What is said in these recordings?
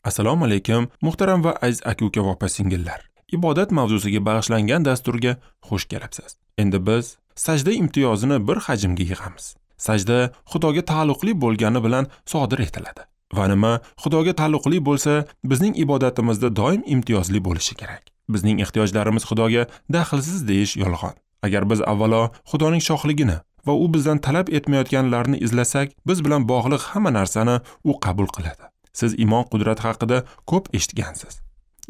Assalomu alaykum, muhtaram va aziz aka-uka va opa-singillar. Ibodat mavzusiga bag'ishlangan dasturga xush kelibsiz. Endi biz sajda imtiyozini bir hajmga yig'amiz. Sajda Xudoga taalluqli bo'lgani bilan sodir etiladi. Va nima Xudoga taalluqli bo'lsa, bizning ibodatimizda doim imtiyozli bo'lishi kerak. Bizning ehtiyojlarimiz Xudoga daxlsiz deyish yolg'on. Agar biz avvalo Xudoning shohligini va u bizdan talab etmayotganlarni izlasak, biz bilan bog'liq hamma narsani u qabul qiladi. Siz iymon qudrati haqida ko'p eshitgansiz.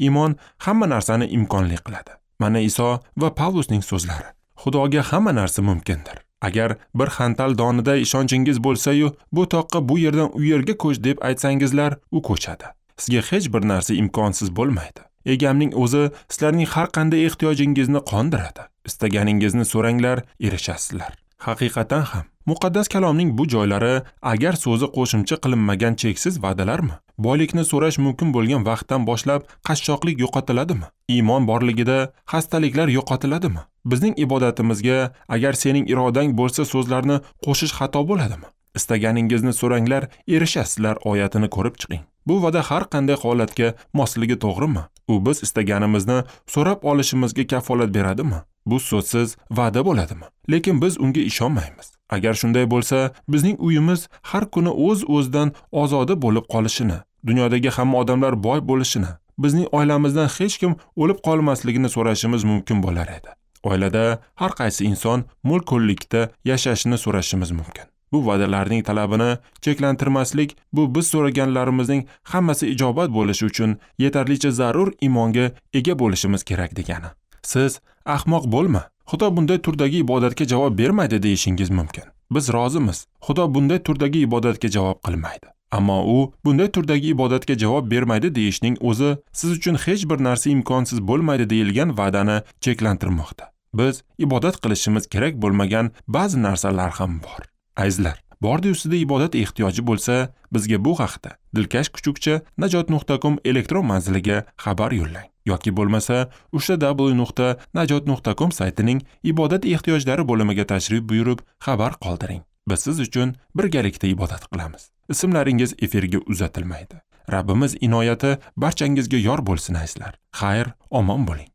Iymon hamma narsani imkonli qiladi. Mana Iso va Pavlusning so'zlari. Xudoga hamma narsa mumkindir. Agar bir xantal donida ishonchingiz bo'lsa-yu, bu toqqa bu yerdan u yerga ko'ch deb aytsangizlar, u ko'chadi. Sizga hech bir narsa imkonsiz bo'lmaydi. Egamning o'zi sizlarning har qanday ehtiyojingizni qondiradi. Istaganingizni so'ranglar, erishasizlar. Haqiqatan ham muqaddas kalomning bu joylari agar so'zi qo'shimcha qilinmagan cheksiz va'dalarmi? Boylikni so'rash mumkin bo'lgan vaqtdan boshlab qashshoqlik yo'qotiladimi? Iymon borligida xastaliklar yo'qotiladimi? Bizning ibodatimizga agar sening irodang bo'lsa so'zlarni qo'shish xato bo'ladimi? Istaganingizni so'ranglar, erishasizlar oyatini ko'rib chiqing. Bu va'da har qanday holatga mosligi to'g'rimi? U biz istaganimizni so'rab olishimizga kafolat beradimi? Bu so'zsiz va'da bo'ladimi? Lekin biz unga ishonmaymiz. Agar shunday bo'lsa, bizning uyimiz har kuni o'z-o'zidan ozoda bo'lib qolishini, dunyodagi hamma odamlar boy bo'lishini, bizning oilamizdan hech kim o'lib qolmasligini so'rashimiz mumkin bo'lar edi. Oilada har qaysi inson mulk-ko'llikda yashashini so'rashimiz mumkin. Bu va'dalarning talabini cheklantirmaslik, bu biz so'raganlarimizning hammasi ijobat bo'lishi uchun yetarlicha zarur iymonga ega bo'lishimiz kerak degani. Siz ahmoq bo'lma, Xudo bunday turdagi ibodatga javob bermaydi deyishingiz mumkin. Biz rozimiz. Xudo bunday turdagi ibodatga javob qilmaydi. Ammo u bunday turdagi ibodatga javob bermaydi deyishning o'zi siz uchun hech bir narsa imkonsiz bo'lmaydi deyilgan va'dani cheklantirmoqda. Biz ibodat qilishimiz kerak bo'lmagan ba'zi narsalar ham bor. Azizlar, bordi ustida ibodat ehtiyoji bo'lsa, bizga bu haqda dilkash@najot.com elektron manziliga xabar yo'llang yoki bo'lmasa www.najot.com saytining ibodat ehtiyojlari bo'limiga tashrif buyurib xabar qoldiring. Biz siz uchun birgalikda ibodat qilamiz. Ismlaringiz efirga uzatilmaydi. Rabbimiz inoyati barchangizga yor bo'lsin azizlar. Xayr, omon bo'ling.